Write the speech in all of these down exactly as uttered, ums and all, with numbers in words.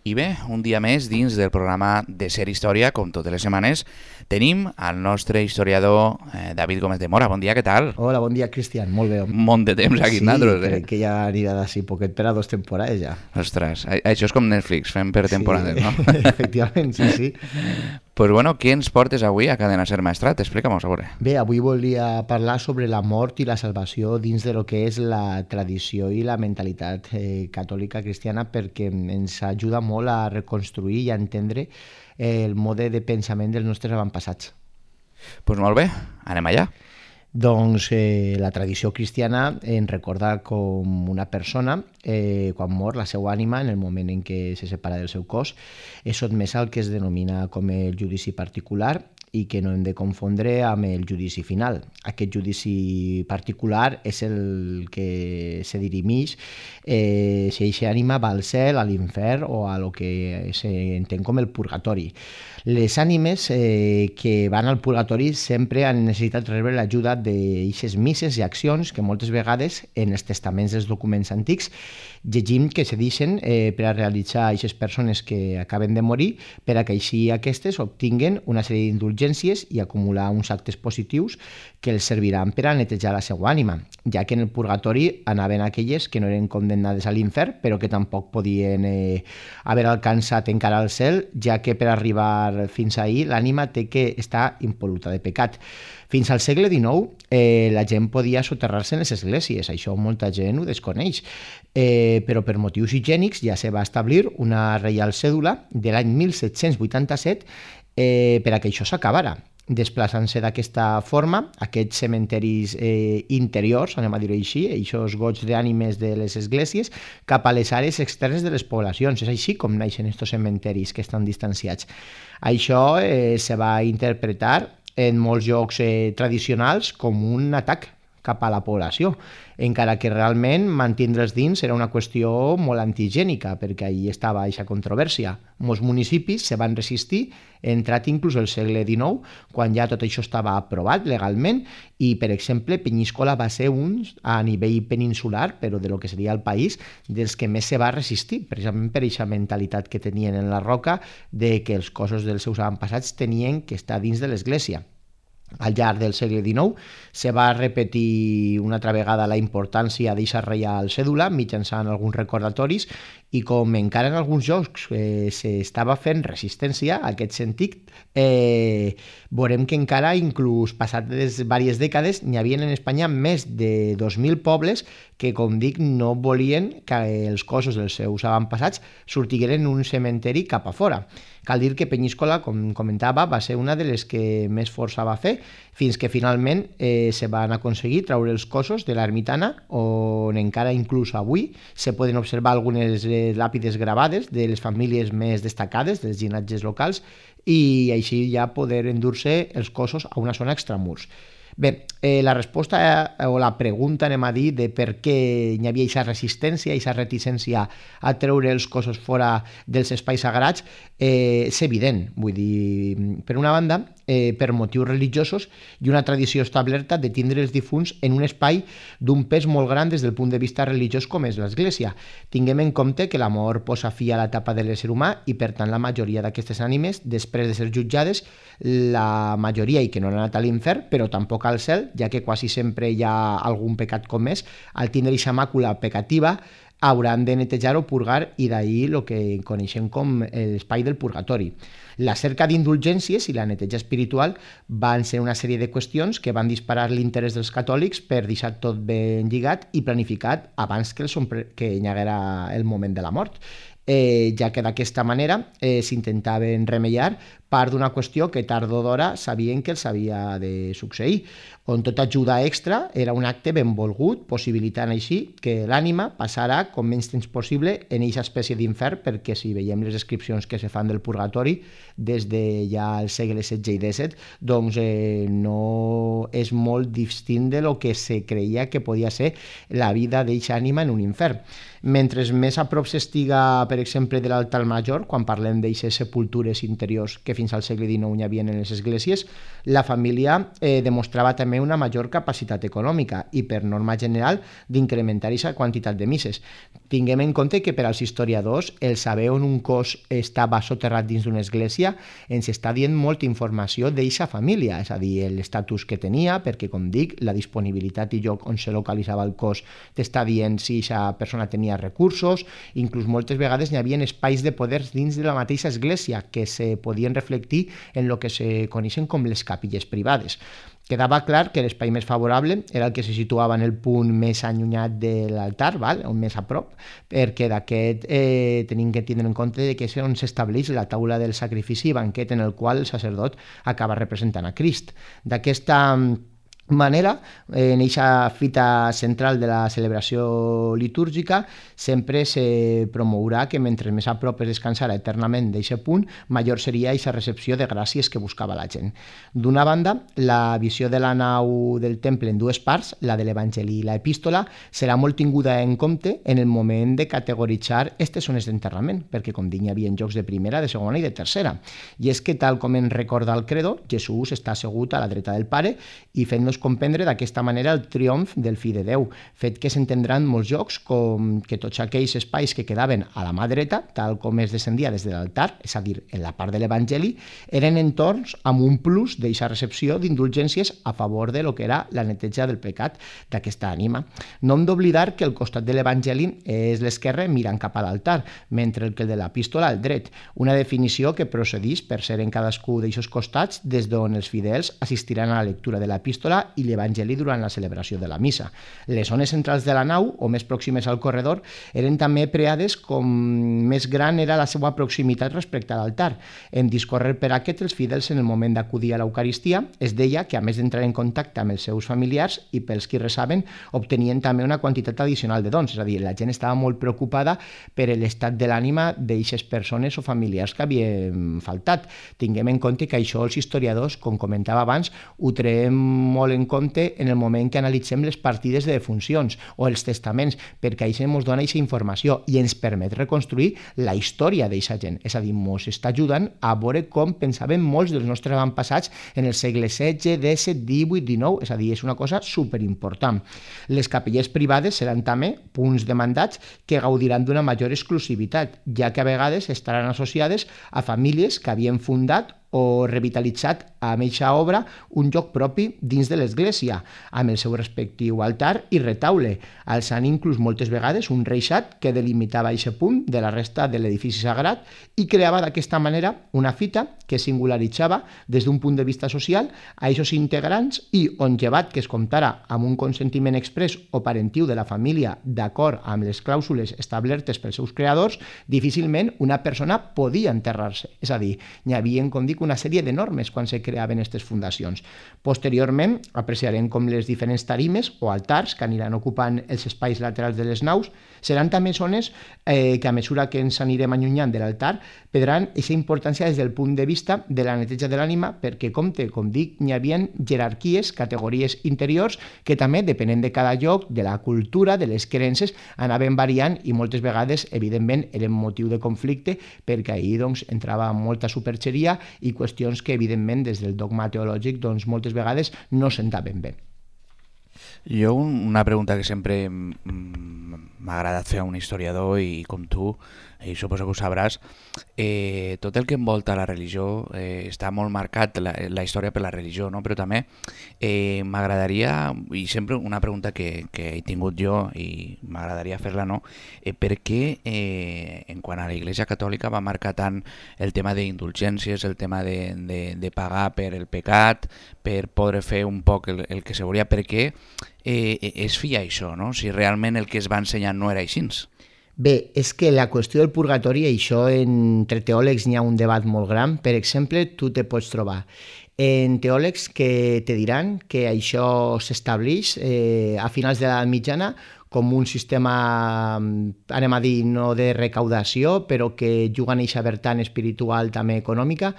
I bé, un dia més dins del programa de Ser Història, com totes les setmanes, tenim el nostre historiador eh, David Gómez de Mora. Bon dia, què tal? Hola, bon dia, Cristian, molt bé. Un munt de temps aquí, sí, nosaltres, eh? crec que ja anirà d'ací poquet per a dos temporades ja. Ostres, això és com Netflix, fem per temporades, sí, no? Efectivament, sí, sí. Pues bueno, què ens portes avui a Cadena Ser Maestrat? Explica-m'ho, a veure. Bé, avui volia parlar sobre la mort i la salvació dins de lo que és la tradició i la mentalitat eh, catòlica cristiana, perquè ens ajuda molt a reconstruir i a entendre el mode de pensament dels nostres avantpassats. Doncs pues molt bé, anem allà. Doncs eh, la tradició cristiana ens recorda com una persona, eh, quan mor, la seva ànima, en el moment en què se separa del seu cos, és sotmesa al que es denomina com el judici particular i que no hem de confondre amb el judici final. Aquest judici particular és el que se dirimeix eh, si aquesta ànima va al cel, a l'infern o a lo que s'entén com el purgatori. Les ànimes eh, que van al purgatori sempre han necessitat rebre l'ajuda d'aixes misses i accions que moltes vegades en els testaments dels documents antics llegim que se deixen eh, per a realitzar aquestes persones que acaben de morir, per a que així aquestes obtinguen una sèrie d'indulgències i acumular uns actes positius que els serviran per a netejar la seva ànima, ja que en el purgatori anaven aquelles que no eren condemnades a l'infern, però que tampoc podien eh, haver alcançat encara el cel, ja que per arribar fins ahir l'ànima té que estar impol·luta de pecat. Fins al segle dinou eh, la gent podia soterrar-se en les esglésies, això molta gent ho desconeix, eh, però per motius higiènics ja se va establir una reial cèdula de l'any mil set-cents vuitanta-set eh, per a que això s'acabara. Desplaçant-se d'aquesta forma, aquests cementeris eh, interiors, anem a dir-ho així, aquests goigs d'ànimes de les esglésies, cap a les àrees externes de les poblacions. És així com naixen aquests cementeris que estan distanciats. Això eh, se va interpretar en molts llocs eh, tradicionals com un atac cap a la població, encara que realment mantindre'ls dins era una qüestió molt antigènica, perquè ahí estava aquesta controvèrsia. Molts municipis se van resistir, entrat inclús el segle dinou, quan ja tot això estava aprovat legalment, i, per exemple, Penyíscola va ser un, a nivell peninsular, però de lo que seria el país, dels que més se va resistir, precisament per aquesta mentalitat que tenien en la roca de que els cossos dels seus avantpassats tenien que estar dins de l'església. Al llarg del segle dinou se va repetir una altra vegada la importància d'aquesta reial cèdula mitjançant alguns recordatoris, i com encara en alguns llocs eh, s'estava fent resistència a aquest sentit, eh, veurem que encara, inclús passades diverses dècades, n'hi havia en Espanya més de dos mil pobles que, com dic, no volien que els cossos dels seus avantpassats sortigueren un cementeri cap a fora. Cal dir que Penyíscola, com comentava, va ser una de les que més força va fer, fins que finalment eh, se van aconseguir treure els cossos de l'ermitana, on encara inclús avui se poden observar algunes eh, làpides gravades de les famílies més destacades, dels llinatges locals, i així ja poder endur-se els cossos a una zona extramurs. Bé, eh, la resposta eh, o la pregunta, anem a dir, de per què hi havia aquesta resistència, aquesta reticència a treure els cossos fora dels espais sagrats, eh, és evident. Vull dir, per una banda, eh, per motius religiosos i una tradició establerta de tindre els difunts en un espai d'un pes molt gran des del punt de vista religiós com és l'Església. Tinguem en compte que la mort posa fi a l'etapa de l'ésser humà i, per tant, la majoria d'aquestes ànimes, després de ser jutjades, la majoria, i que no han anat a l'infern, però tampoc al cel, ja que quasi sempre hi ha algun pecat comès, al tindre aquesta màcula pecativa hauran de netejar o purgar, i d'ahir el que coneixem com l'espai del purgatori. La cerca d'indulgències i la neteja espiritual van ser una sèrie de qüestions que van disparar l'interès dels catòlics per deixar tot ben lligat i planificat abans que, el, que hi haguera el moment de la mort. Eh, ja que d'aquesta manera eh, s'intentaven remeiar part d'una qüestió que tard o d'hora sabien que els havia de succeir, on tota ajuda extra era un acte benvolgut, possibilitant així que l'ànima passara com menys temps possible en aquesta espècie d'infern, perquè si veiem les descripcions que se fan del purgatori des de ja el segle setze i disset, doncs eh, no és molt distint de lo que se creia que podia ser la vida d'aquesta ànima en un infern. Mentre més a prop s'estiga, per exemple, de l'altar major, quan parlem d'aquestes sepultures interiors que fins al segle dinou hi havia en les esglésies, la família eh, demostrava també una major capacitat econòmica i, per norma general, d'incrementar aquesta quantitat de misses. Tinguem en compte que per als historiadors el saber on un cos estava soterrat dins d'una església ens està dient molta informació d'eixa família, és a dir, l'estatus que tenia, perquè, com dic, la disponibilitat i lloc on se localitzava el cos t'està dient si eixa persona tenia recursos, inclús moltes vegades hi havia espais de poders dins de la mateixa església que se podien reflectir en el que se coneixen com les capilles privades. Quedava clar que l'espai més favorable era el que se situava en el punt més allunyat de l'altar, val? On més a prop, perquè d'aquest eh, tenim que tindre en compte que és on s'estableix la taula del sacrifici i banquet en el qual el sacerdot acaba representant a Crist. D'aquesta manera, en aquesta fita central de la celebració litúrgica sempre se promourà que mentre més a prop es descansara eternament d'aquest punt, major seria aquesta recepció de gràcies que buscava la gent. D'una banda, la visió de la nau del temple en dues parts, la de l'Evangeli i l'Epístola, serà molt tinguda en compte en el moment de categoritzar aquestes zones d'enterrament, perquè, com dic, hi havia jocs de primera, de segona i de tercera. I és que, tal com ens recorda el credo, Jesús està assegut a la dreta del Pare i fent-nos comprendre d'aquesta manera el triomf del fill de Déu, fet que s'entendran molts jocs com que tots aquells espais que quedaven a la mà dreta, tal com es descendia des de l'altar, és a dir, en la part de l'Evangeli, eren entorns amb un plus d'eixa recepció d'indulgències a favor de lo que era la neteja del pecat d'aquesta ànima. No hem d'oblidar que el costat de l'Evangeli és l'esquerre mirant cap a l'altar, mentre que el de l'Epístola al dret, una definició que procedís per ser en cadascú d'eixos costats des d'on els fidels assistiran a la lectura de l'Epístola i l'Evangeli durant la celebració de la missa. Les zones centrals de la nau, o més pròximes al corredor, eren també preades com més gran era la seva proximitat respecte a l'altar. En discórrer per aquest, els fidels en el moment d'acudir a l'Eucaristia es deia que, a més d'entrar en contacte amb els seus familiars i pels qui resaven, obtenien també una quantitat addicional de dons, és a dir, la gent estava molt preocupada per l'estat de l'ànima d'eixes persones o familiars que havien faltat. Tinguem en compte que això els historiadors, com comentava abans, ho traiem molt en compte en el moment que analitzem les partides de defuncions o els testaments, perquè això ens dona aquesta informació i ens permet reconstruir la història d'aquesta gent. És a dir, ens està ajudant a veure com pensaven molts dels nostres avantpassats en el segle setze, disset, divuit, dinou, és a dir, és una cosa superimportant. Les capelles privades seran també punts demandats que gaudiran d'una major exclusivitat, ja que a vegades estaran associades a famílies que havien fundat o revitalitzat amb eixa obra un lloc propi dins de l'església, amb el seu respectiu altar i retaule, alçant inclús moltes vegades un reixat que delimitava eixe punt de la resta de l'edifici sagrat i creava d'aquesta manera una fita que singularitzava des d'un punt de vista social a eixos integrants i on, llevat que es comptara amb un consentiment express o parentiu de la família d'acord amb les clàusules establertes pels seus creadors, difícilment una persona podia enterrar-se. És a dir, n'hi havia, com dic, una sèrie de normes quan se creaven aquestes fundacions. Posteriorment, apreciarem com les diferents tarimes o altars que aniran ocupant els espais laterals de les naus seran també zones eh, que a mesura que ens anirem allunyant de l'altar perdran aquesta importància des del punt de vista de la neteja de l'ànima perquè, compte, com dic, n'hi havia jerarquies, categories interiors que també, depenent de cada lloc, de la cultura, de les creences, anaven variant i moltes vegades, evidentment, eren motiu de conflicte perquè ahir doncs, entrava molta superxeria i qüestions que, evidentment, des del dogma teològic, doncs, moltes vegades no sentaven bé. Jo una pregunta que sempre m'ha agradat fer a un historiador i com tu, i suposo que ho sabràs, eh, tot el que envolta la religió eh, està molt marcat, la, la història per la religió, no? Però també eh, m'agradaria, i sempre una pregunta que, que he tingut jo i m'agradaria fer-la, no? Eh, per què eh, en quant a la Iglesia Catòlica va marcar tant el tema d'indulgències, el tema de, de, de pagar per el pecat, per poder fer un poc el, el que se volia, per què eh, es feia això, no? Si realment el que es va ensenyar no era així. Bé, és que la qüestió del purgatori, això entre teòlegs n'hi ha un debat molt gran. Per exemple, tu te pots trobar en teòlegs que te diran que això s'estableix eh, a finals de l'edat mitjana com un sistema, anem a dir, no de recaudació, però que juga en eixa vertant espiritual també econòmica,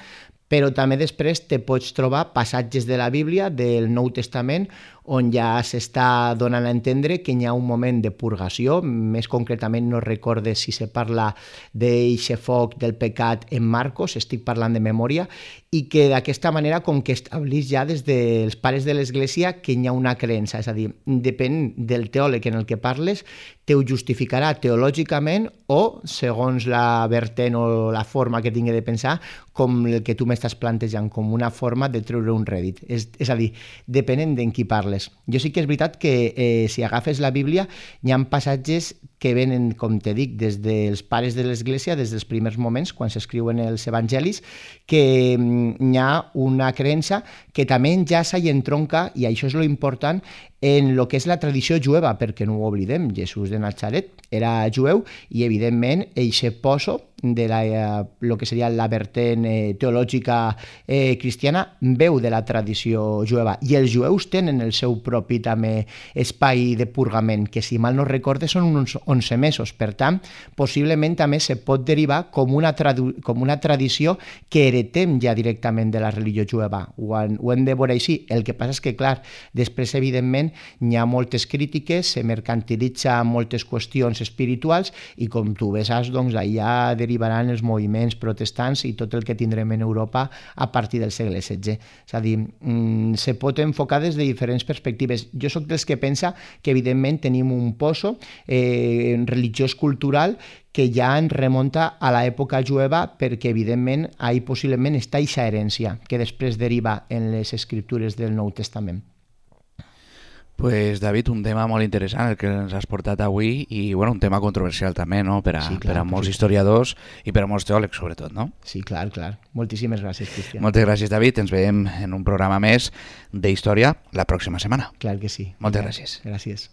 però també després te pots trobar passatges de la Bíblia, del Nou Testament, on ja s'està donant a entendre que hi ha un moment de purgació, més concretament no recorde si se parla d'eixe foc del pecat en Marcos, estic parlant de memòria, i que d'aquesta manera com que estableix ja des dels pares de l'Església que hi ha una creença, és a dir, depèn del teòleg en el que parles, te ho justificarà teològicament o, segons la vertent o la forma que tingui de pensar, com el que tu m'estàs plantejant, com una forma de treure un rèdit. És, és a dir, depenent d'en qui parles. Jo sí que és veritat que eh, si agafes la Bíblia hi ha passatges que venen, com te dic, des dels pares de l'Església, des dels primers moments, quan s'escriuen els evangelis, que hi ha una creença que també enllaça i entronca, i això és lo important, en el que és la tradició jueva, perquè no ho oblidem, Jesús de Natzaret era jueu i, evidentment, eixe poso de la, el que seria la vertent eh, teològica eh, cristiana veu de la tradició jueva, i els jueus tenen el seu propi també espai de purgament, que si mal no recorde són uns onze mesos, per tant, possiblement també se pot derivar com una, com una tradició que heretem ja directament de la religió jueva. Ho, han, ho hem de veure així. El que passa és que, clar, després, evidentment, hi ha moltes crítiques, se mercantilitza moltes qüestions espirituals i, com tu bé saps, doncs, allà derivaran els moviments protestants i tot el que tindrem en Europa a partir del segle setze. És a dir, mm, se pot enfocar des de diferents perspectives. Jo sóc dels que pensa que, evidentment, tenim un poso eh, religiós cultural que ja en remunta a l'època jueva, perquè, evidentment, ahí possiblement està aquesta herència que després deriva en les escriptures del Nou Testament. Pues, David, un tema molt interessant el que ens has portat avui i, bueno, un tema controversial també, no?, per a, sí, clar, per a molts sí. historiadors i per a molts teòlegs, sobretot, no? Sí, clar, clar. Moltíssimes gràcies, Cristian. Moltes gràcies, David. Ens veiem en un programa més d'història la pròxima setmana. Clar que sí. Moltes gràcies. Gràcies.